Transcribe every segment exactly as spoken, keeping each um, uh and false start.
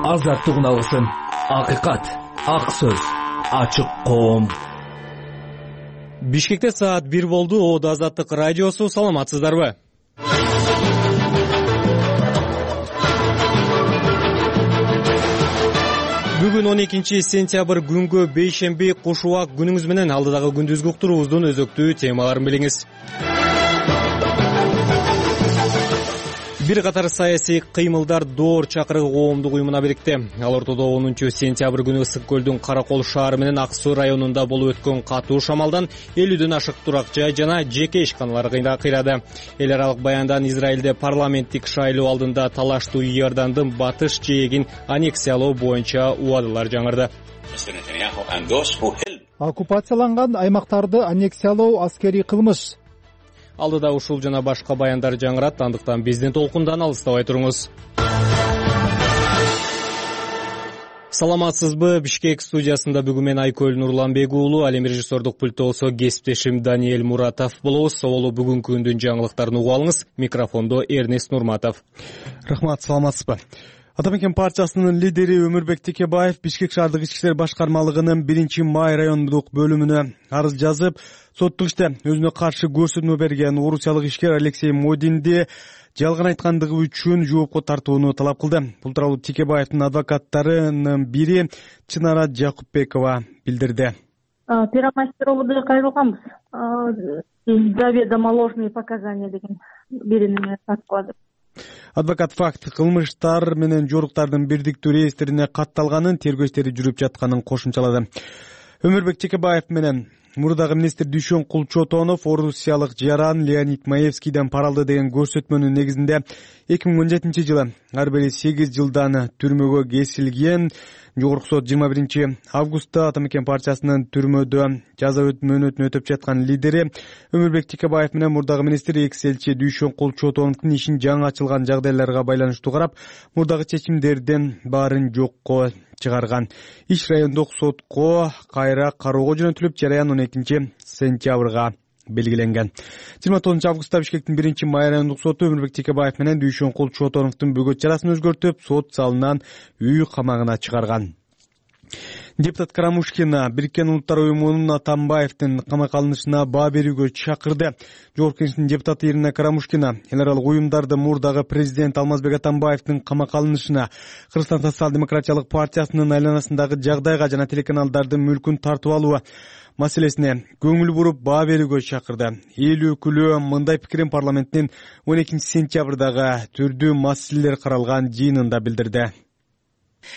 азаттык уналсын. Акыйкат, ак сөз, ачык коом. Бишкекте саат бир болду. Оодо Азаттык радиосу. Саламатсыздарбы? Бүгүн он экинчи сентябрь күнгө бейшемби куш убак күнүңүз менен алдыдагы күндүзгү уктуруубуздун өзөктүү темаларын билиңиз. Бир катар саясий кыймылдар Доор чакырыгы коомдук уюмуна бирикти. Ал ортодо онунчу сентябрь күнү Ысык көлдүн Кара Кол шаары менен Ак Суу районунда болуп өткөн катуу шамалдан элүүдөн ашык турак жай жана жеке ишканалар кыйрады. Эл аралык баяндан Израилде парламенттик шайлоо алдында талаштуу Иордандын батыш жээгин аннексиялоо боюнча убадалар жаңырды. Оккупацияланган аймактарды аннексиялоо аскерий кылмыш. Алдыда ушул жана башка баяндар жаңырат, андыктан биздин толкундан алыстабай туруңуз. Саламатсызбы? Бишкек студиясында бүгүн мен Айкөл Нурланбек уулу, ал эми режиссердук пультта болсо кесиптешим Даниэль Муратов болобуз. Соболу бүгүнкү күндүн жаңылыктарын угуп алыңыз. Микрофондо Эрнест Нурматов. Рахмат, саламатсызбы? Ата мекен партиясынын лидери Өмүрбек Текебаев Бишкек шаардык ички иштер башкармалыгынын биринчи май райондук бөлүмүнө арыз жазып, соттук иште өзүнө каршы көрсөтмө берген орусиялык ишкер Алексей Модинди жалган айткандыгы үчүн жоопко тартууну талап кылды. Бул тууралуу Текебаевдин адвокаттарынын бири Чынара Жакупбекова билдирди. Первомайскироводо кайрылганбыз. Заведомо ложные показания деген бирини аткылады. Адвокат факт кылмыштар менен жоруктардын бирдиктүү реестрине катталганын, тергөө иштери жүрүп жатканын кошумчалады. Өмүрбек Текебаев менен мурдагы министр Дүйшөн Кулчотонов орусиялык жаран Леонид Маевскийден пара алды деген көрсөтмөнүн негизинде эки миң он жетинчи жылы ар бири сегиз жылдан түрмөгө кесилген. Жогорку сот жыйырма биринчи августта Ата мекен партиясынын түрмөдө жаза мөөнөтүн өтөп жаткан лидери Өмүрбек Текебаев менен мурдагы министр экс элчи Дүйшөн Кулчотоновдун ишин жаңы ачылган жагдайларга байланыштуу карап, мурдагы чечимдерден баарын жокко чыгарган. Иш райондук сотко кайра кароого жөнөтүлүп, жараян он экинчи сентябрга белгиленген. жыйырма тогузунчу августта Бишкектин биринчи май райондук соту Өмүрбек Текебаев менен Дүйшөн Кулчотоновдун бөгөт чарасын өзгөртүп, сот залынан үй камагына чыгарган. Депутат Карамушкина Бириккен Улуттар уюмунун Атамбаевдин камакка алынышына баа берүүгө чакырды. Жогорку Кеңештин депутаты Ирина Карамушкина эл аралык уюмдарды мурдагы президент Алмазбек Атамбаевдин камакка алынышына, Кыргызстан социал-демократиялык партиясынын айланасындагы жагдайга жана телеканалдардын мүлкүн тартып алуу маселесине көңүл буруп баа берүүгө чакырды. Эл өкүлү мындай пикирин парламенттин он экинчи сентябрдагы түрдүү маселелер каралган жыйынында билдирди.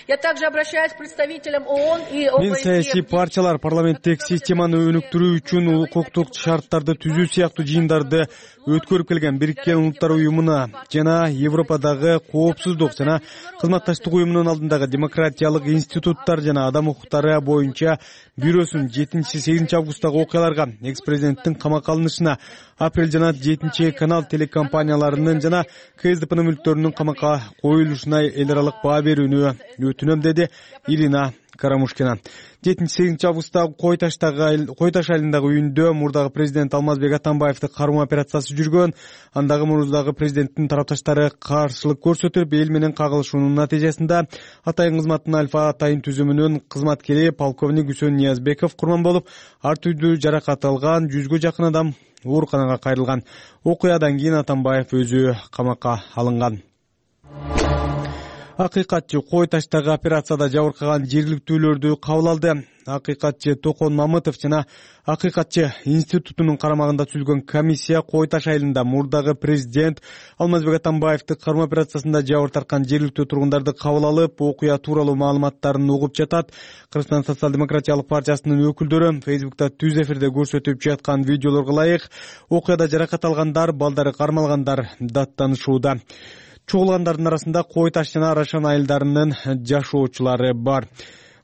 Я также обращаюсь к представителям ООН и ОБСЕ. Мен саясий партиялар парламенттик системаны өнүктүрүү үчүн укуктук шарттарды түзүү сыяктуу жыйындарды өткөрүп келген Бириккен Улуттар уюмуна жана Европадагы коопсуздук жана кызматташтык уюмунун алдындагы демократиялык институттар жана адам укуктары боюнча бюросунун жетинчи сегизинчи августтагы окуяларга, экс-президенттин камакка алынышына, апрель жана жетинчи канал телекомпанияларынын жана КСДПнын мүлктөрүнүн камакка коюлушуна эл аралык баа берүүнү өтүнөм, деди Ирина Карамушкина. жетинчи сегизинчи августтагы Кой Таштагы Кой Таш айылындагы үйүндө мурдагы президент Алмазбек Атамбаевди кароо операциясы жүргөн. Андагы мурдагы президенттин тарапташтары каршылык көрсөтүп, эл менен кагылышуунун натыйжасында Атайын кызматтын Альфа Атайын түзүмүнүн кызматкери полковник Үсөн Ниязбеков курман болуп, ар түрдүү жаракат алган, жүзгө жакын адам ооруканага кайрылган. Окуядан кийин Атамбаев өзү камакка алынган. Акыйкатчы Кой Таштагы операцияда жабыркаган жергиликтүүлөрдү кабыл алды. Акыйкатчы Токон Мамытов жана Акыйкатчы институтунун карамагында түзүлгөн комиссия Кой Таш айылында мурдагы президент Алмазбек Атамбаевди кароо операциясында жабыр тарткан жергиликтүү тургундарды кабыл алып, окуя тууралуу маалыматтарын угуп жатат. Кыргызстан социал-демократиялык партиясынын өкүлдөрү Фейсбукта түз эфирде көрсөтүп жаткан видеолорго ылайык окуяда жаракат алгандар, балдары кармалгандар даттанышууда. Чогулгандардын арасында Кой Таш жана Арашан айылдарынын жашоочулары бар.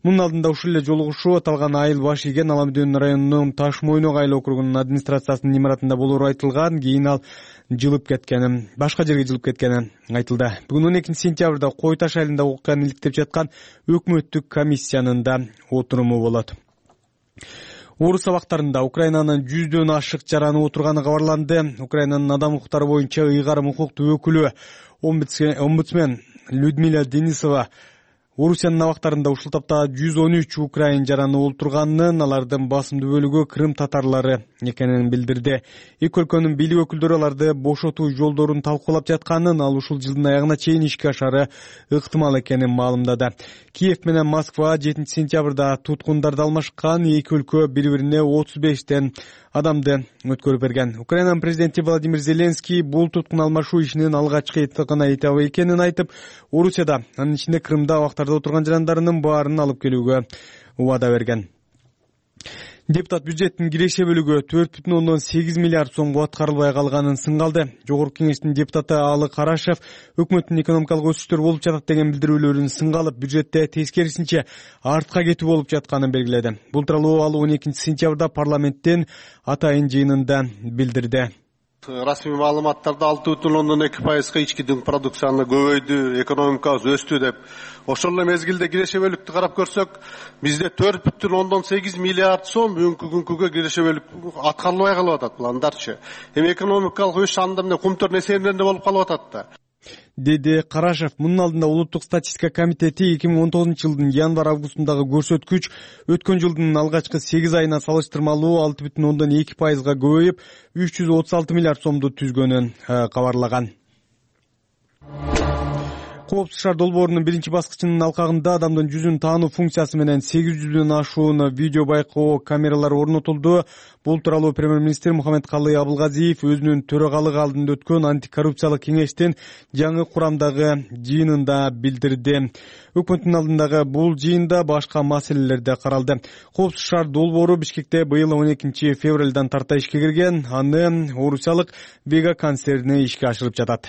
Мунун алдында ушул эле жолугушуу аталган айыл баш ийген Аламдын районунун Таш Мойнок айыл округунун администрациясынын имаратында болоору айтылган. Кийин ал жылып кеткени, башка жерге жылып кеткени айтылды. Бүгүн он экинчи сентябрда Кой Таш айылында окуяны иликтеп жаткан өкмөттүк комиссиянын да отуруму болот. Орус сабактарында Украинанын жүздөн ашык жараны отурганы кабарланды. Украинанын адам укуктары боюнча ыйгарым укуктуу өкүлү омбудсмен Людмила Денисова Орусиянын абактарында ушул тапта жүз он үч украин жараны олтурганын, алардын басымдуу бөлүгү крым татарлары экенин билдирди. Эки өлкөнүн бийлик өкүлдөрү аларды бошотуу жолдорун талкуулап жатканын, ал ушул жылдын аягына чейин ишке ашары ыктымал экенин маалымдады. Киев менен Москва жетинчи сентябрда туткундарды алмашкан, эки өлкө бири-бирине отуз бештен адамды өткөрүп берген. Украинанын президенти Владимир Зеленский бул туткун алмашуу ишинин алгачкы гана этабы экенин айтып, Орусияда, анын ичинде Крымда абактарда отурган жарандарынын баарын алып келүүгө убада берген. Депутат бюджеттин киреше бөлүгү төрт бүтүн ондон сегиз миллиард сомго аткарылбай калганын сынгалды. Жогорку кеңештин депутаты Алы Карашев өкмөттүн экономикалык өсүштөр болуп жатат деген билдирүүлөрүн сынгалып, бюджетте тескерисинче артка кетүү болуп жатканын белгиледи. Бул тууралуу ал он экинчи сентябрда парламенттин атайын жыйынында билдирди. Расмий маалыматтарда алты бүтүн ондон эки пайызга ички дүң продукцияны көбөйдү, экономикабыз өстү деп. Ошол эле мезгилде киреше бөлүктү карап көрсөк, бизде төрт бүтүн ондон сегиз миллиард сом бүгүнкү күнгө киреше бөлүк аткарылбай калып атат. Бул андарчы. Эми экономикалык өсүш анда эмне кумтөр несиелеринде болуп калып атат да. Деди Карашев. Мунун алдында Улуттук статистика комитети эки миң он тогузунчу жылдын январь-августундагы көрсөткүч өткөн жылдын алгачкы сегиз айына салыштырмалуу алты бүтүн ондон эки пайызга көбөйүп, үч жүз отуз алты миллиард сомду түзгөнүн кабарлаган. Коопсуз шаар долбоорунун биринчи баскычынын алкагында адамдын жүзүн таануу функциясы менен сегиз жүздөн ашуун видео байкоо камералары орнотулду. Бул тууралуу премьер-министр Мухаммедкалый Абылгазиев өзүнүн төрагалыгы алдында өткөн антикоррупциялык кеңештин жаңы курамдагы жыйынында билдирди. Өкмөттүн алдындагы бул жыйында башка маселелер да каралды. Коопсуз шаар долбоору Бишкекте быйыл он экинчи февралдан тарта ишке кирген. Аны орусиялык Вега концерни ишке ашырып жатат.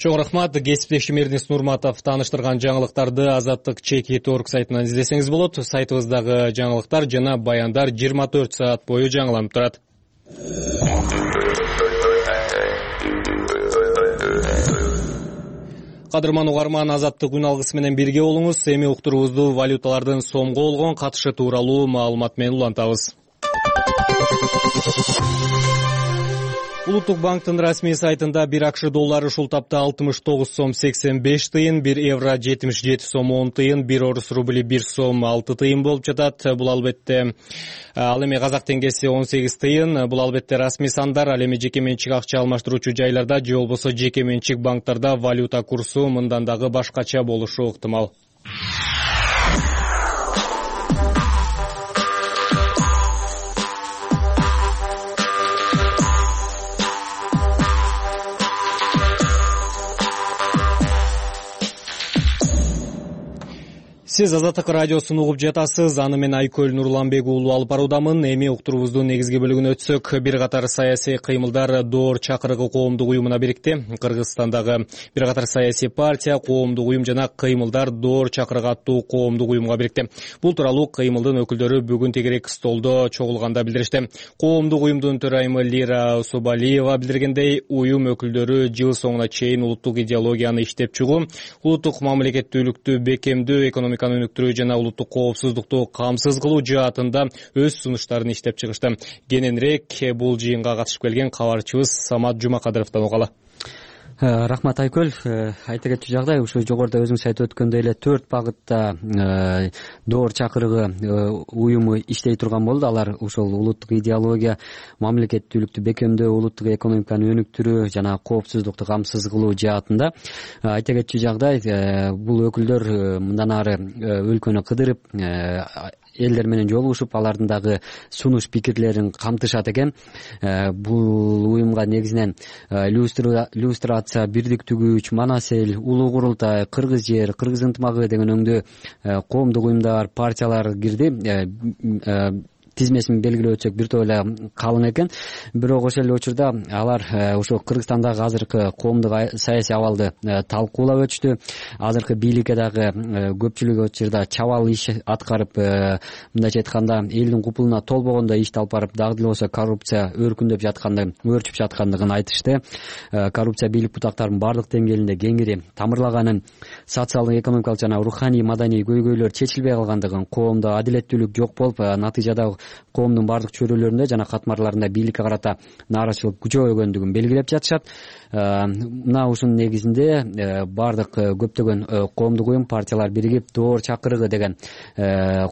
Чоң рахмат. Кесиптешим Эрнест Нурматов тааныштырган жаңылыктарды Азаттык чеки точка орг сайтынан издесеңиз болот. Сайтыбыздагы жаңылыктар жана баяндар жыйырма төрт саат бою жаңыланып турат. Кадырман угарман, Азаттык үн алгысы менен бирге болуңуз. Эми уктуруубузду валюталардын сомго болгон катышы тууралуу маалымат менен улантабыз. Улуттук банктын расмий сайтында бир акш доллары ушул тапта алтымыш тогуз сом сексен беш тыйын, бир евро жетимиш жети сом он тыйын, бир орус рубли бир сом алты тыйын болуп жатат. Бул албетте ал эми казак теңгеси он сегиз тыйын. Бул албетте расмий сандар. Ал эми жеке менчик акча алмаштыруучу жайларда же болбосо жеке менчик банктарда валюта курсу мындан дагы башкача болушу ыктымал. Сиз Азаттык радиосун угуп жатасыз. Аны мен Айкөл Нурланбек уулу алып баруудамын. Эми уктуруубуздун негизги бөлүгүнө өтсөк, бир катар саясий кыймылдар Доор чакырыгы коомдук уюмуна бирикти. Кыргызстандагы бир катар саясий партия, коомдук уюм жана кыймылдар Доор чакырыгы аттуу коомдук уюмга бирикти. Бул тууралуу кыймылдын өкүлдөрү бүгүн тегерек столдо чогулганда билдиришти. Коомдук уюмдун төрайымы Лира Усубалиева билдиргендей, уюм өкүлдөрү жыл соңуна чейин улуттук идеологияны иштеп чыгуу, улуттук мамлекеттүүлүктү бекемдөө, экономика өнүктүрүү жана улуттук коопсуздукту камсыз кылуу жаатында өз сунуштарын иштеп чыгышты. Кененирээк бул жыйынга катышып келген кабарчыбыз Самат Жумакадыровдон угалы. Рахмат Айкөл. Айта кетчү жагдай, ушу жогоруда өзүңүз айтып өткөндөй эле төрт багытта Доор чакырыгы уюму иштей турган болду. Алар ушул улуттук идеология, мамлекеттүүлүктү бекемдөө, улуттук экономиканы өнүктүрүү жана коопсуздукту камсыз кылуу жаатында. Айта кетчү жагдай, бул өкүлдөр мындан ары өлкөнү кыдырып, элдер менен жолугушуп, алардын дагы сунуш пикирлерин камтышат экен. Бул уюмга негизинен иллюстрация, бирдиктүү күч, Манас эл, Улуу Курултай, Кыргыз жер, Кыргыз ынтымагы деген өңдө коомдук уюмдар, партиялар кирди. Тизмесин белгилеп өтсөк бир топ эле калың экен. Бирок ошол эле учурда алар ошо Кыргызстандагы азыркы коомдук саясий абалды талкуулап өтүштү. Азыркы бийликке дагы көпчүлүгү учурда чабал иш аткарып, мындайча айтканда элдин купулуна толбогондой ишти алып барып, дагы деле болсо коррупция өркүндөп жаткандыгын, өөрчүп жаткандыгын айтышты. Коррупция бийлик бутактарынын баардык деңгээлинде кеңири тамырлаганын, социалдык, экономикалык жана руханий, маданий көйгөйлөр чечилбей калгандыгын, коомдо адилеттүүлүк жок болуп, натыйжада коомдун баардык чөйрөлөрүндө жана катмарларында бийликке карата нааразычылык күчөйгөндүгүн белгилеп жатышат. Мына ушунун негизинде баардык көптөгөн коомдук уюм, партиялар биригип доор чакырыгы деген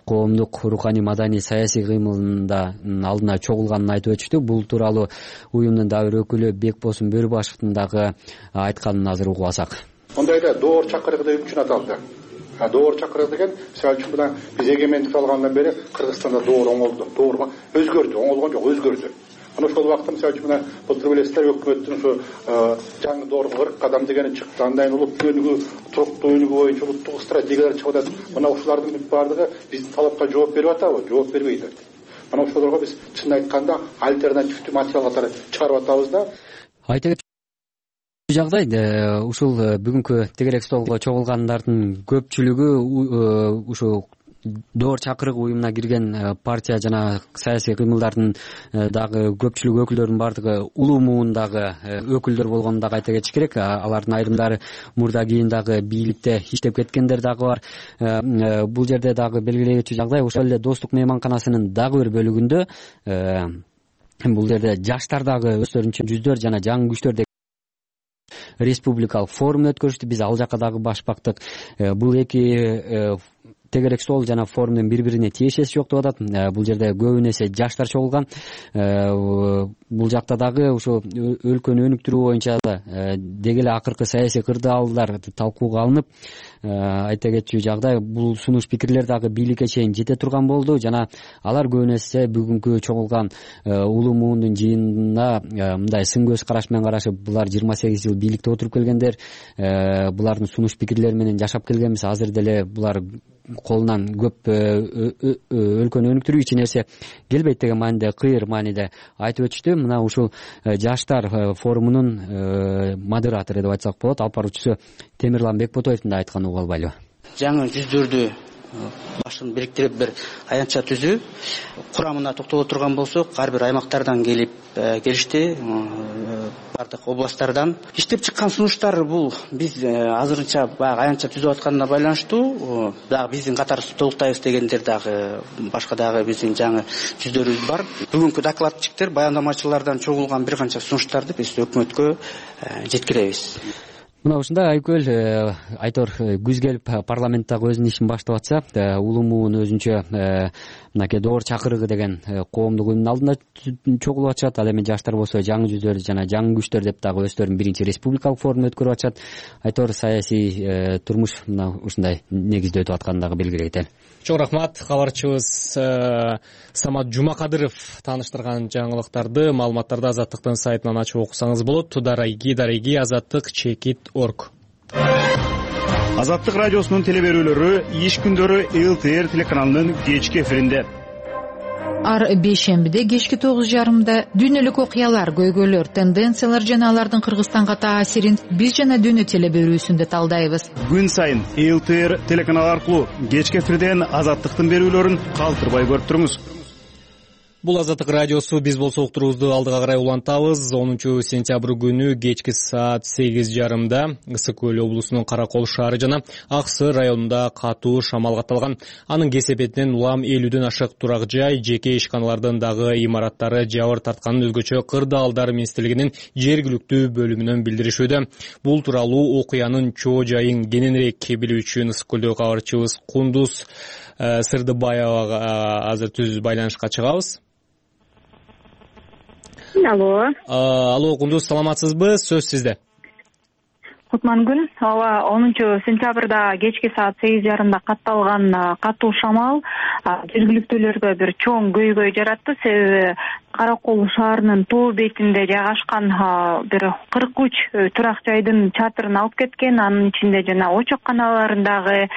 коомдук руханий маданий саясий кыймылында алдына чогулганын айтып өтүштү. Бул тууралуу уюмдун дагы бир өкүлү Бекбосун Бөрүбашевдин дагы айтканын азыр угуп алсак. Ондайда доор чакырыгы деп үчүн аталды. Доор чакырыгы деген мисалы үчүн мына биз эгемендик алгандан бери Кыргызстанда доор оңолду. Доор өзгөрдү, оңолгон жок, өзгөрдү. Ана ошол убакта мисалы үчүн мына былтыр билесиздер, өкмөттүн ошо жаңы доорго кырк кадам дегени чыкты. Андан улуттук өнүгүү, туруктуу өнүгүү боюнча улуттук стратегиялар чыгып атат. Мына ушулардын баардыгы биздин талапка жооп берип атабы? Жооп бербейт. Мына ошолорго биз чын айтканда альтернативдүү материал катары чыгарып атабыз да. Айта жагдайда ушул бүгүнкү тегерек столго чогулгандардын көпчүлүгү ушул доор чакырыгы уюмуна кирген партия жана саясий кыймылдардын дагы көпчүлүк өкүлдөрүнүн баардыгы улуу муундагы өкүлдөр болгонун дагы айта кетиш керек. Алардын айрымдары мурда кийин дагы бийликте иштеп кеткендер дагы бар. Бул жерде дагы белгилегичи жагдай ошол эле Достук мейманканасынын дагы бир бөлүгүндө бул жерде жаштар дагы өздөрүнчө жүздөр жана жаңы күчтөр республикалык форум өткөрүштү. Биз ал жака дагы баш бактык. Бул эки тегерек стол жана форумдун бири бирине тиешеси жок деп атат. Бул жерде көбүн эсе жаштар чогулган. Бул жакта дагы ушул өлкөнү өнүктүрүү боюнча деги эле акыркы саясий кырдаалдар талкууга алынып, айта кетчү жагдай бул сунуш пикирлер дагы бийликке чейин жете турган болду жана алар көбүн эсе бүгүнкү чогулган улуу муундун жыйынына мындай сын көз караш менен карашып, булар жыйырма сегиз жыл бийликте отуруп келгендер, булардын сунуш пикирлери менен жашап келгенбиз, азыр деле булар колунан көп өлкөнү өнүктүрүү эч нерсе келбейт деген мааниде, кыйыр мааниде айтып өтүштү. Мына ушул жаштар форумунун модератору деп айтсак болот, алып баруучусу Темирлан Бекботоевдин да айтканын угуп албайлыбы? Жаңы жүздөрдү башын бириктирип бир аянтча түзүү курамына токтоло турган болсок, ар бир аймактардан келип келишти, бардык областтардан иштеп чыккан сунуштар. Бул биз азырынча баягы аянтча түзүп атканына байланыштуу. Дагы биздин катарыбызды толуктайбыз дегендер дагы башка дагы биздин жаңы жүздөрүбүз бар. Бүгүнкү докладчиктер, баяндамачылардан чогулган бир канча сунуштарды биз өкмөткө жеткиребиз. Мына ушундай Айкөл Айтор күз келип парламенттагы өзүнүн ишин баштап атса, улуу муун өзүнчө мынакей доор чакырыгы деген коомдук уюмдун алдында чогулуп атышат. Ал эми жаштар болсо жаңы жүздөр жана жаңы күчтөр деп дагы өздөрүнүн биринчи республикалык форум өткөрүп атышат. Айтор саясий турмуш мына ушундай негизде өтүп атканын дагы белгилей кетели. Чоң рахмат. Кабарчыбыз Самат Жумакадыров тааныштырган жаңылыктарды, маалыматтарды Азаттыктын сайтынан ачып окусаңыз болот. Дарайги дарайги азаттык чекит орг. Азаттык радиосунун телеберүүлөрү иш күндөрү эл ти эр телеканалынын кечки эфиринде. Ар бейшембиде кечки тогуз жарымда дүйнөлүк окуялар, көйгөйлөр, тенденциялар жана алардын Кыргызстанга таасирин биз жана дүйнө телеберүүсүндө талдайбыз. Күн сайын эл ти эр телеканалы аркылуу кечки эфирден Азаттыктын берүүлөрүн калтырбай көрүп туруңуз. Бул Азаттык радиосу. Биз болсо уктуруубузду алдыга карай улантабыз. онунчу сентябрь күнү кечки саат сегиз жарымда Ысык көл облусунун Каракол шаары жана Ак Суу районунда катуу шамал катталган. Анын кесепетинен улам элүүдөн ашык турак жай, жеке ишканалардын дагы имараттары жабыр тартканын өзгөчө Кырдаалдар министрлигинин жергиликтүү бөлүмүнөн билдиришүүдө. Бул тууралуу окуянын чоо жайын кененирээк билүү үчүн Ысык көлдөгү кабарчыбыз Кундуз Сырдыбаевага азыр түз байланышка чыгабыз. Алло. Алло, Кундуз, саламатсызбы? Сөз сизде. Кутман күн. Ооба, онунчу сентябрда кечки саат сегиз жарымда катталган катуу шамал жергиликтүүлөргө бир чоң көйгөй жаратты. Себеби Каракол шаарынын тоо бетинде жайгашкан бир кырк үч турак жайдын чатырын алып кеткен. Анын ичинде жана очокканаларындагы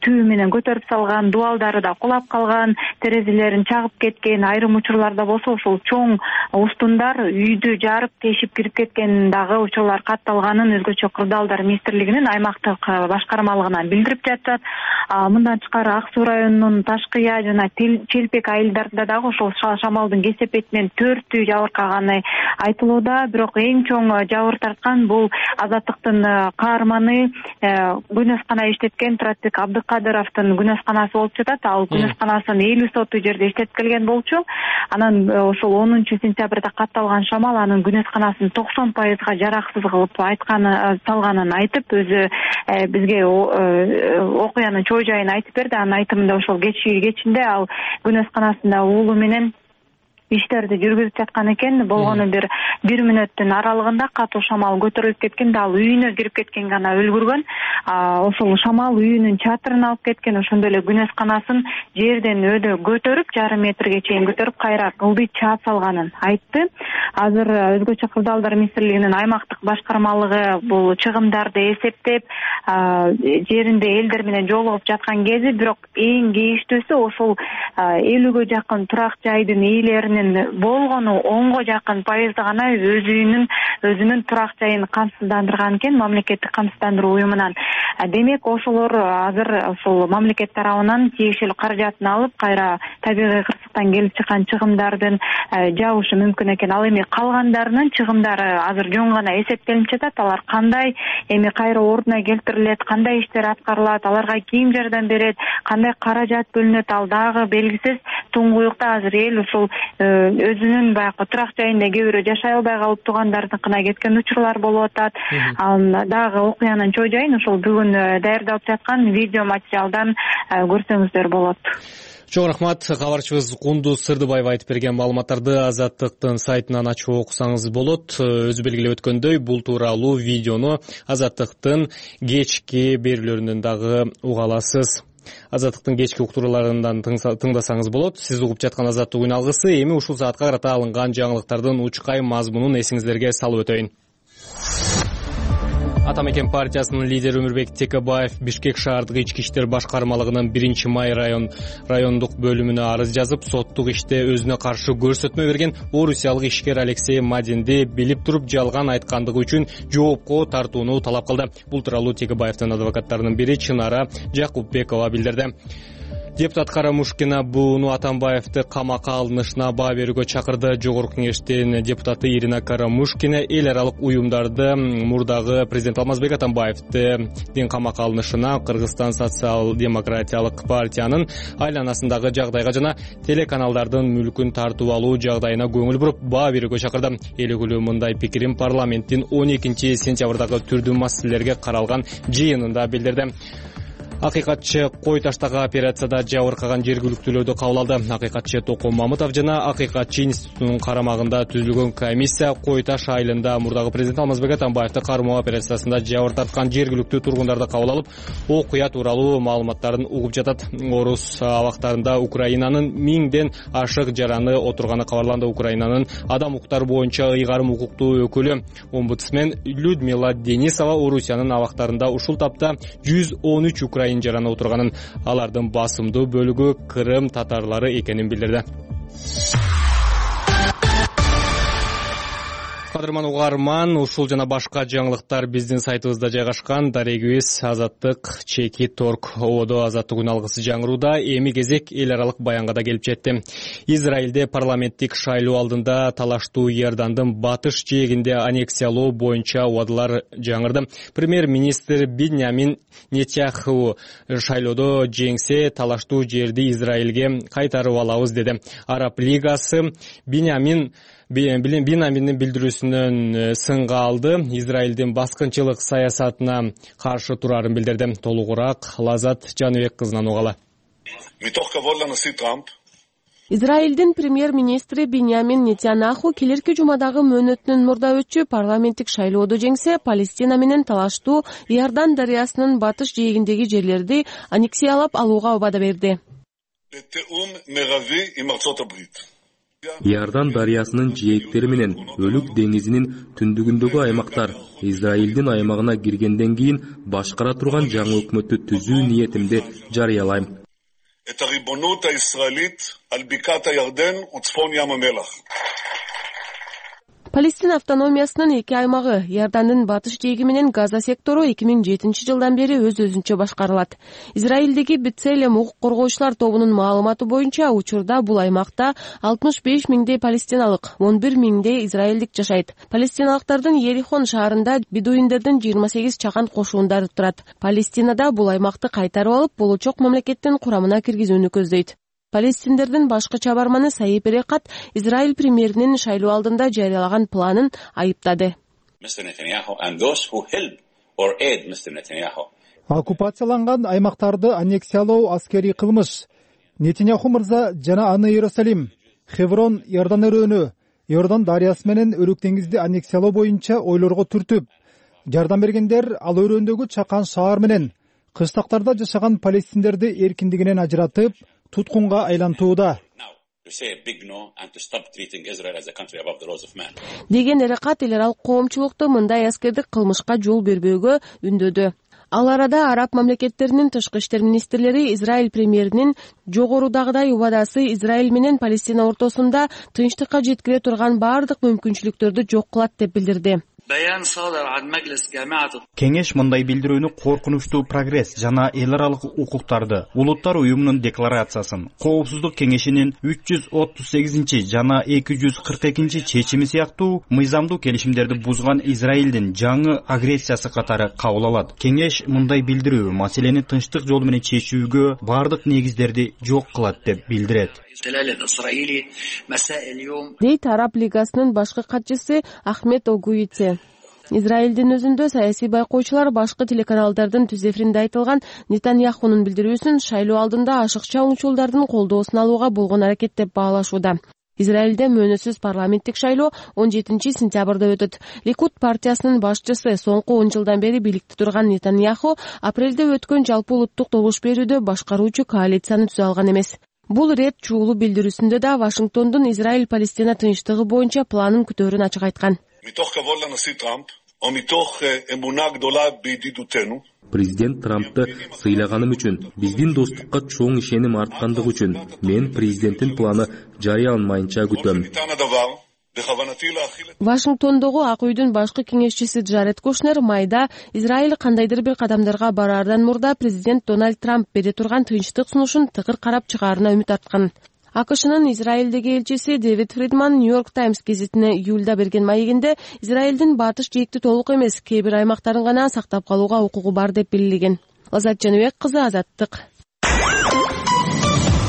түбү менен көтөрүп салган, дубалдары да кулап калган, терезелерин чагып кеткен. Айрым учурларда болсо ушул чоң устундар үйдү жарып тешип кирип кеткен дагы учурлар катталганын өзгөчө өзгөчө кырдаалдар министрлигинин аймактык башкармалыгына билдирип жатат. Мындан тышкары Ак Суу районунун Ташкыя жана Челпек айылдарында дагы ошол шамалдын кесепетинен төрт үй жабыркаганы айтылууда. Бирок эң чоң жабыр тарткан бул Азаттыктын каарманы күнөскана иштеткен Туратбек Абдыкадыровдун күнөсканасы болуп жатат. Ал күнөсканасын элүү соту жерде иштеткилген болчу. Анан ошол онунчу сентябрда катталган шамал анын күнөсканасын токсон пайызга жараксыз кылып айтканы салганын айтып, өзү бизге окуянын чоо жайын айтып берди. Анын айтымында ошол кечинде ал күнөсканасында уулу менен иштерди жүргүзүп жаткан экен. Болгону бир бир мүнөттүн аралыгында катуу шамал көтөрүлүп кеткен да ал үйүнө кирип кеткен гана өлгүргөн. Ошол шамал үйүнүн чатырын алып кеткен. Ошондой эле күнөсканасын жерден өдө көтөрүп, жарым метрге чейин көтөрүп, кайра кылды чаап салганын айтты. Азыр өзгөчө кырдаалдар министрлигинин аймактык башкармалыгы бул чыгымдарды эсептеп, жеринде элдер менен жолугуп жаткан кези, бирок эң кейиштүүсү ошол элүүгө жакын турак жайдын ээлеринин болгону онго жакын пайызды гана өз үйүнүн өзүнүн турак жайын камсыздандырган экен мамлекеттик камсыздандыруу уюмунан. Демек ошолор азыр ошол мамлекет тарабынан тиешелүү каражатын алып, кайра табигый кырсыктан келип чыккан чыгымдардын жабышы мүмкүн экен. Ал эми калгандарынын чыгымдары азыр жөн гана эсептелип жатат. Алар кандай эми кайра ордуна келтирилет, кандай иштер аткарылат, аларга ким жардам берет, кандай каражат бөлүнөт, ал дагы белгисиз. Туңгуюкта азыр эл ушул өзүнүн баягы турак жайында кээ бирөө жашай албай калып туугандарыныкына кеткен учурлар болуп атат. Дагы окуянын чоо жайын ошол бүгүн даярдалып жаткан видео материалдан көрсөңүздөр болот. Чоң рахмат. Кабарчыбыз Кундуз Сырдыбаева айтып берген маалыматтарды Азаттыктын сайтынан ачып окусаңыз болот. Өзү белгилеп өткөндөй, бул тууралуу видеону Азаттыктын кечки берүүлөрүнөн дагы уга аласыз. Азаттыктын кечки уктурууларынан тыңдасаңыз болот. Сиз угуп жаткан Азаттык үн алгысы. Эми ушул саатка карата алынган жаңылыктардын учкай мазмунун эсиңиздерге салып өтөйүн. Атамекен партиясынын лидери Өмүрбек Текебаев Бишкек шаардык ички иштер башкармалыгынын биринчи май район райондук бөлүмүнө арыз жазып, соттук иште өзүнө каршы көрсөтмө берген орусиялык ишкер Алексей Мадинди билип туруп жалган айткандыгы үчүн жоопко тартууну талап кылды. Бул тууралуу Текебаевдин адвокаттарынын бири Чынара Жакупбекова билдирди. Депутат Карамушкина Бууну Атамбаевди камакка алынышына баа берүүгө чакырды. Жогорку кеңештин депутаты Ирина Карамушкина эл аралык уюмдарды мурдагы президент Алмазбек Атамбаевдин камакка алынышына, Кыргызстан социал-демократиялык партиянын айланасындагы жагдайга жана телеканалдардын мүлкүн тартып алуу жагдайына көңүл буруп, баа берүүгө чакырды. Эл өкүлү мындай пикирин парламенттин он экинчи сентябрдагы түрдүү маселелерге каралган жыйынында билдирди. Акыйкатчы Кой таштагы операцияда жабыркаган жергиликтүүлөрдү кабыл алды. Акыйкатчы Током Мамытов жана Акыйкатчы институтунун карамагында түзүлгөн комиссия Кой таш айылында мурдагы президент Алмазбек Атамбаевди кармоо операциясында жабыр тарткан жергиликтүү тургундарды кабыл алып, окуя тууралуу маалыматтарын угуп жатат. Орус абактарында Украинанын миңден ашык жараны отурганы кабарланды. Украинанын адам укуктары боюнча ыйгарым укуктуу өкүлү омбудсмен Людмила Денисова Орусиянын абактарында ушул тапта жүз он үч украин жараны отурганын, алардын басымдуу бөлүгү Крым татарлары экенин билдирди. Кадырман угарман, ушул жана башка жаңылыктар биздин сайтыбызда жайгашкан. Дарегибиз Азаттык чеки торг ободо Азаттык үн алгысы жаңырууда. Эми кезек эл аралык баянга да келип жетти. Израилде парламенттик шайлоо алдында талаштуу Иордандын батыш жээгинде аннексиялоо боюнча убадалар жаңырды. Премьер-министр Биньямин Нетаньяху шайлоодо жеңсе, талаштуу жерди Израилге кайтарып алабыз деди. Араб лигасы Биньямин Биньяминдин билдирүүсүнөн сынга алды. Израилдин баскынчылык саясатына каршы турарын билдирди. Толугураак Лазат Жаныбек кызынан угалы. Израилдин премьер-министри Биньямин Нетаньяху келерки жумадагы мөөнөтүнөн мурда өтчү парламенттик шайлоодо жеңсе, Палестина менен талаштуу Иордан дарыясынын батыш жээгиндеги жерлерди аннексиялап алууга убада берди. Иордан дарыясынын жээктери менен Өлүк деңизинин түндүгүндөгү аймактар Израилдин аймагына киргенден кийин башкара турган жаңы өкмөттү түзүү ниетимди жарыялайм. Палестина автономиясынын эки аймагы Иордандын батыш жээги менен Газа сектору эки миң жетинчи жылдан бери өз өзүнчө башкарылат. Израилдеги Бцелем укук коргоочулар тобунун маалыматы боюнча учурда бул аймакта алтымыш беш миңдей палестиналык, он бир миңдей израилдик жашайт. Палестиналыктардын Ерихон шаарында бедуиндердин жыйырма сегиз чакан кошуундары турат. Палестинада бул аймакты кайтарып алып, болочок мамлекеттин курамына киргизүүнү көздөйт. Палестиндердин башкы чабарманы Саип Эрекат Израиль премьеринин шайлоо алдында жарыялаган планын айыптады. Оккупацияланган аймактарды аннексиялоо аскерий кылмыш. Нетаньяху мырза жана аны Иерусалим, Хеврон, Иордан өрөөнү, Иордан дарыясы менен Өрүк деңизди аннексиялоо боюнча ойлорго түртүп, жардам бергендер ал өрөөндөгү чакан шаар менен кыштактарда жашаган палестиндерди эркиндигинен ажыратып, туткунга айлантууда деген Эрекат эл аралык коомчулукту мындай аскердик кылмышка жол бербөөгө үндөдү. Ал арада араб мамлекеттеринин тышкы иштер министрлери Израиль премьеринин жогорудагыдай убадасы Израиль менен Палестина ортосунда тынчтыкка жеткире турган баардык мүмкүнчүлүктөрдү жок кылат деп билдирди. Кеңеш мындай билдирүүнү коркунучтуу прогресс жана эл аралык укуктарды, улуттар уюмунун декларациясын, Коопсуздук кеңешинин үч жүз отуз сегизинчи жана эки жүз кырк экинчи чечими сыяктуу мыйзамдуу келишимдерди бузган Израилдин жаңы агрессиясы катары кабыл алат. Кеңеш мындай билдирүү маселени тынчтык жолу менен чечүүгө баардык негиздерди жок кылат деп билдирет. Дейт Араб лигасынын башкы катчысы Ахмед Огуице. Израилдин өзүндө саясий байкоочулар башкы телеканалдардын түз эфиринде айтылган Нетаньяхунун билдирүүсүн шайлоо алдында ашыкча оңчулдардын колдоосун алууга болгон аракет деп баалашууда. Израилде мөөнөсүз парламенттик шайлоо он жетинчи сентябрда өтөт. Ликуд партиясынын башчысы соңку он жылдан бери бийликте турган Нетаньяху апрелде өткөн жалпы улуттук добуш берүүдө башкаруучу коалицияны түзө алган эмес. Бул рет чуулуу билдирүүсүндө да Вашингтондун Израиль-Палестина тынчтыгы боюнча планын күтөөрүн ачык айткан. Президент Трампты сыйлаганым үчүн, биздин достукка чоң ишеним арткандыгы үчүн мен президенттин планы жарыяланмайынча күтөм. Вашингтондогу Ак үйдүн башкы кеңешчиси Джаред Кушнер майда Израиль кандайдыр бир кадамдарга бараардан мурда президент Дональд Трамп бере турган тынчтык сунушун тыкыр карап чыгаарына үмүт арткан. АКШнын Израилдеги элчиси Дэвид Фридман Нью-Йорк Таймс гезитине июлда берген маегинде Израилдин батыш жээкти толук эмес, кээ бир аймактарын гана сактап калууга укугу бар деп белгилеген. Азат Жаныбек кызы, Азаттык.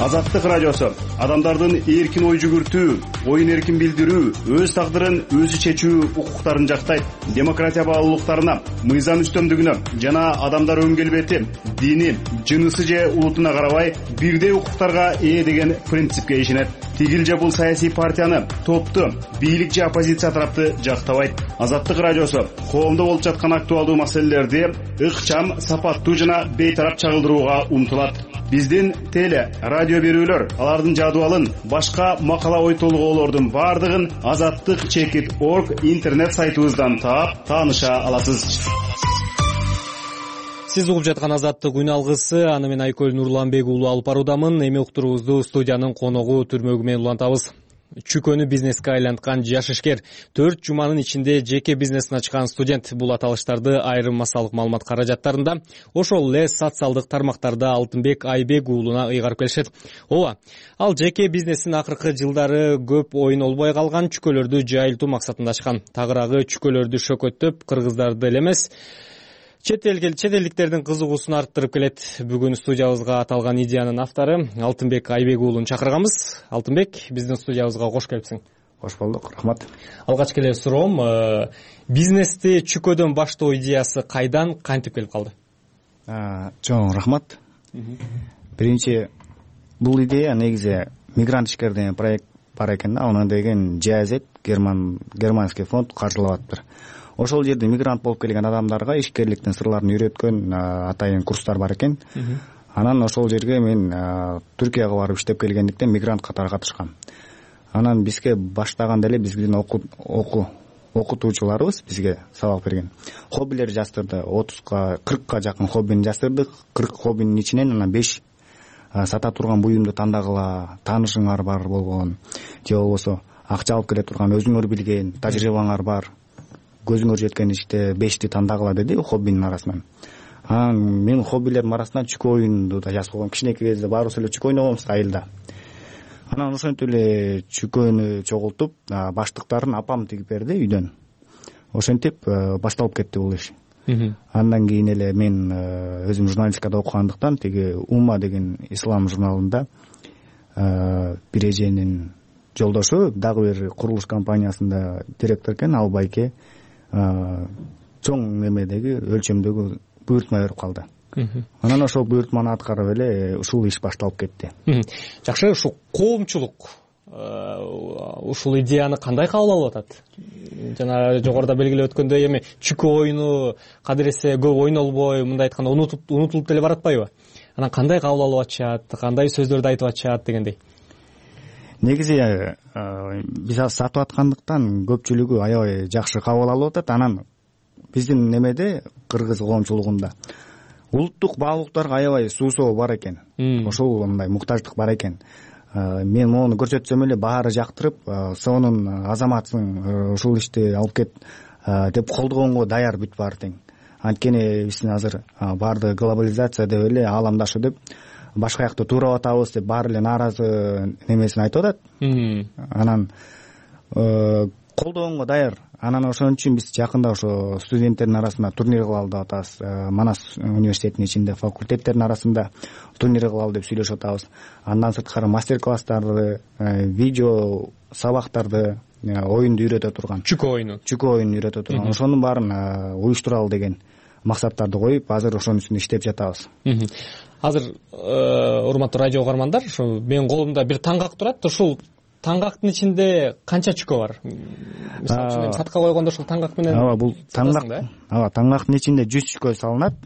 Азаттык радиосу адамдардын эркин ой жүгүртүү, оюн эркин билдирүү, өз тагдырын өзү чечүү укуктарын жактайт. Демократия баалуулуктарына, мыйзам үстөмдүгүнө жана адамдар өң келбети, дини, жынысы же улутуна карабай бирдей укуктарга ээ деген принципке ишенет. Тигил же бул саясий партияны, топту, бийлик же оппозиция тарапты жактабайт. Азаттык радиосу коомдо болуп жаткан актуалдуу маселелерди ыкчам, сапаттуу жана бейтарап чагылдырууга умтулат. Биздин теле, радио берүүлөр, алардын жадыбалын, башка макала ой толгоолордун бардыгын азаттык чекит точка орг интернет сайтыбыздан таап, тааныша аласыз. Сиз угуп жаткан Азаттык үн алгысы, аны мен Айкөл Нурланбек уулу алып баруудамын. Эми уктуруубузду студиянын коногу Түрмөгү менен улантабыз. Чүкөнү бизнеске айланткан жаш ишкер, төрт жуманын ичинде жеке бизнесин ачкан студент бул аталыштарды айрым массалык маалымат каражаттарында, ошол эле социалдык тармактарда Алтынбек Айбек уулуна ыйгарып келишет. Ооба, ал жеке бизнесин акыркы жылдары көп оюн олбой калган чүкөлөрдү жайылтуу максатында ачкан. Тагыраагы чүкөлөрдү шөкөттөп, кыргыздарды эле эмес, чет элдиктердин кызыгуусун арттырып келет. Бүгүн студиябызга аталган идеянын автору Алтынбек Айбек уулун чакырганбыз. Алтынбек, биздин студиябызга кош келипсиң. Кош болдук, рахмат. Алгач эле суроом, бизнести чүкөдөн баштоо идеясы кайдан, кантип келип калды? Чоң рахмат. Биринчи, бул идея негизи мигрант ишкер деген проект бар экен да, аны деген Джазет, Герман германский фонд каржылап атыптыр. Ошол жерде мигрант болуп келген адамдарга ишкерликтин сырларын үйрөткөн атайын курстар бар экен. Анан ошол жерге мен Түркияга барып иштеп келгендиктен мигрант катары катышкам. Анан бизге баштаганда эле биздин окуу окутуучуларыбыз бизге сабак берген. Хоббилер жаздырды, отузга кыркка жакын хоббини жаздырдык. кырк хоббинин ичинен анан беш сата турган буюмду тандагыла, таанышыңар бар болгон же болбосо акча алып келе турган, өзүңөр билген тажрыйбаңар бар, көзүңөр жеткен иште бешти тандагыла деди хоббинин арасынан. Анан менин хоббилердин арасынан чүкө оюнду да жазып койгом. Кичинекей кезде баарыбыз эле чүкө ойногонбуз айылда. Анан ошентип эле чүкөнү чогултуп, баштыктарын апам тигип берди үйдөн. Ошентип башталып кетти бул иш. Андан кийин эле мен өзүм журналистикада окугандыктан тиги Ума деген ислам журналында бир эженин жолдошу дагы бир курулуш компаниясында директор экен, ал байке чоң немедеги өлчөмдөгү буйртма берип калды. Анан ошол буйртманы аткарып эле ушул иш башталып кетти. Жакшы, ушул коомчулук ушул идеяны кандай кабыл алып атат? Жана жогоруда белгилеп өткөндөй, эми чүкө оюну кадыресе көп ойнолбой, мындай айтканда унутуп унутулуп деле баратпайбы? Анан кандай кабыл алып атышат, кандай сөздөрдү айтып атышат дегендей. Негизи биз азыр сатып аткандыктан көпчүлүгү аябай жакшы кабыл алып атат. Анан биздин немеде, кыргыз коомчулугунда улуттук баалуулуктарга аябай суусоо бар экен. Ошол мындай муктаждык бар экен. Мен мону көрсөтсөм эле баары жактырып, сонун азаматсың, ушул ишти алып кет деп колдогонго даяр бүт баары тең. Анткени биздин азыр баардыгы глобализация деп эле ааламдашу деп башка жакта туурап атабыз деп баары эле нааразы немесин айтып атат. Анан колдогонго даяр. Анан ошон үчүн биз жакында ошо студенттердин арасында турнир кылалы деп атабыз. Манас университетинин ичинде факультеттердин арасында турнир кылалы деп сүйлөшүп атабыз. Андан сырткары мастер-класстарды, видео сабактарды, оюнду үйрөтө турган, чүкө оюну, чүкө оюнун үйрөтө турган, ошонун баарын уюштуралы деген максаттарды коюп, азыр ошонун үстүндө иштеп жатабыз. Азыр урматтуу радио угармандар, ушу менин колумда бир таңгак турат. Ушул таңгактын ичинде канча чүкө бар? Мисалы үчүн сатка койгондо ушул таңгак менен ооба бул таңгак, ооба таңгактын ичинде жүз чүкө салынат.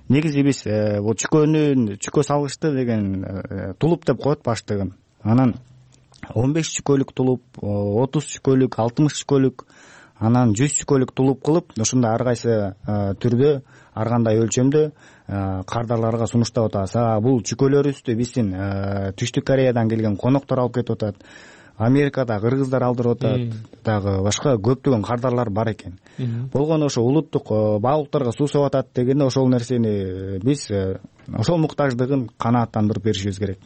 Негизи биз бул чүкөнүн чүкө салгычты деген тулуп деп коет баштыгын. Анан он беш чүкөлүк тулуп, отуз чүкөлүк, алтымыш чүкөлүк, анан жүз чүкөлүк тулуп кылып, ушундай ар кайсы түрдө, ар кандай өлчөмдө кардарларга сунуштап атабыз. Бул чүкөлөрүбүздү биздин Түштүк Кореядан келген коноктор алып кетип атат. Америкада кыргыздар алдырып атат, дагы башка көптөгөн кардарлар бар экен. Болгону ошо улуттук баалуулуктарга суусап атат дегенде ошол нерсени биз ошол муктаждыгын канааттандырып беришибиз керек.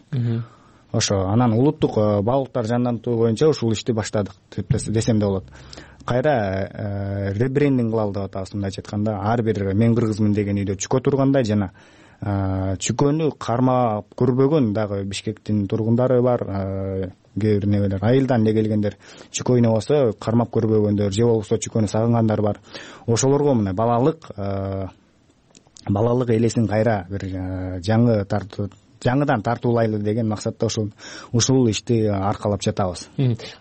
Ошо анан улуттук баалуулуктар жандантуу боюнча ушул ишти баштадык деп десем да болот. Кайра ребрендинг кылалы деп атабыз, мындайча айтканда, ар бир мен кыргызмын деген үйдө чүкө тургандай жана чүкөнү кармап көрбөгөн дагы Бишкектин тургундары бар, кээ бир небелер айылдан эле келгендер, чүкө ойнобосо кармап көрбөгөндөр же болбосо чүкөнү сагынгандар бар. Ошолорго мына балалык балалык элесин кайра бир жаңы тартуу жаңыдан тартуулайлы деген максатта ушул ушул ишти аркалап жатабыз.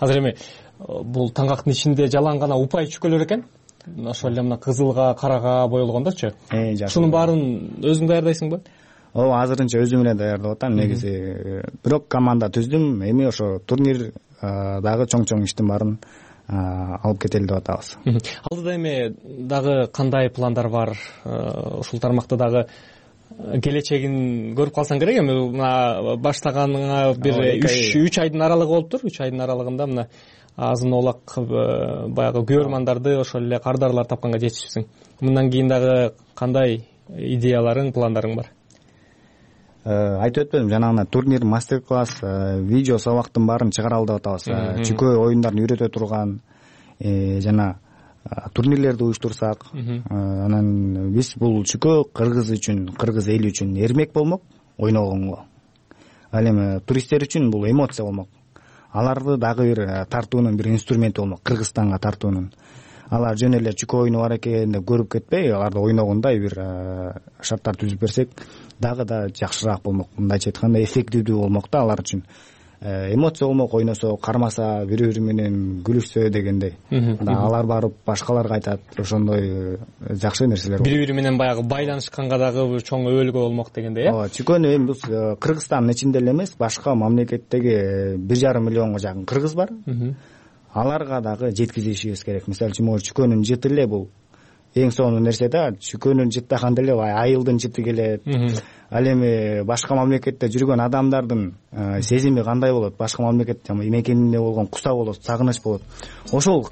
Азыр эми бул таңгактын ичинде жалаң гана упай чүкөлөр экен. Ошол эле мына кызылга, карага боелгондорчу. Ушунун баарын өзүң даярдайсыңбы? Ооба, азырынча өзүм эле даярдап атам. Негизи бирок команда түздүм. Эми ошо турнир дагы чоң-чоң иштин баарын алып кетели деп атабыз. Алдыда эми дагы кандай пландар бар? Ушул тармакта дагы келечегин көрүп калсаң керек. Эми мына баштаганыңа бир үч айдын аралыгы болуптур. үч айдын аралыгында мына азын олак баягы көрөрмандарды, ошол эле кардарлар тапканга жетишипсиң. Мындан кийин дагы кандай идеяларың, пландарың бар? Айтып өтпөдүм, жанагы турнир, мастер-класс, видео сабактын баарын чыгаралы деп атабыз. Чүкө оюндарын үйрөтө турган жана турнирлерди уюштурсак, анан биз бул чүкө кыргыз үчүн, кыргыз эли үчүн эрмек болмок ойногонго. Ал эми туристтер үчүн бул эмоция болмок. Аларды дагы бир тартуунун бир инструменти болмок, Кыргызстанга тартуунун. Алар жөн эле чүкө оюну бар экен деп көрүп кетпей, аларды ойногондой бир шарттар түзүп берсек, дагы да жакшыраак болмок. Мындайча айтканда эффективдүү болмок да алар үчүн. Эмоция болмок, ойносо, кармаса, бири-бири менен күлүшсө дегендей. Алар барып башкаларга айтат, ошондой жакшы нерселер. Бири-бири менен баягы байланышканга дагы чоң өбөлгө болмок дегендей, э? Ооба, чүкөнү эми биз Кыргызстандын ичинде эле эмес, башка мамлекеттеги бир жарым миллионго жакын кыргыз бар. Аларга дагы жеткизишибиз керек. Мисалы үчүн, чүкөнүн жыты эле бул эң сонун нерсе да чүкөнүн жыттаган деле айылдын жыты келет. Ал эми башка мамлекетте жүргөн адамдардын сезими кандай болот, башка мамлекетте мекенине болгон куса болот, сагыныч болот. Ошол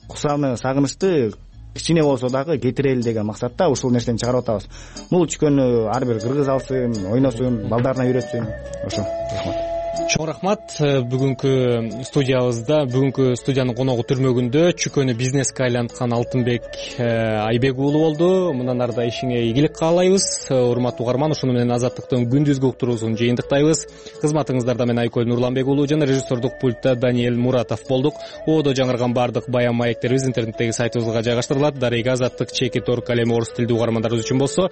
кусаны, сагынычты кичине болсо дагы кетирели деген максатта ушул нерсени чыгарып атабыз. Бул чүкөнү ар бир кыргыз алсын, ойносун, балдарына үйрөтсүн. Ошо. Рахмат. Чоң рахмат. Бүгүнкү студиябызда, бүгүнкү студиянын коногу түрмөгүндө чүкөнү бизнеске айланткан Алтынбек Айбек уулу болду. Мындан ары да ишиңе ийгилик каалайбыз. Урматтуу угарман, ушуну менен Азаттыктын күндүзгү уктуруусун жыйынтыктайбыз. Кызматыңыздарда мен Айкөл Нурланбек уулу жана режиссердук пультта Даниэль Муратов болдук. Оодо жаңырган бардык баян маектерибиз интернеттеги сайтыбызга жайгаштырылат. Дарега Азаттык чеки торг ал эми орус тилдүү угармандарыбыз үчүн болсо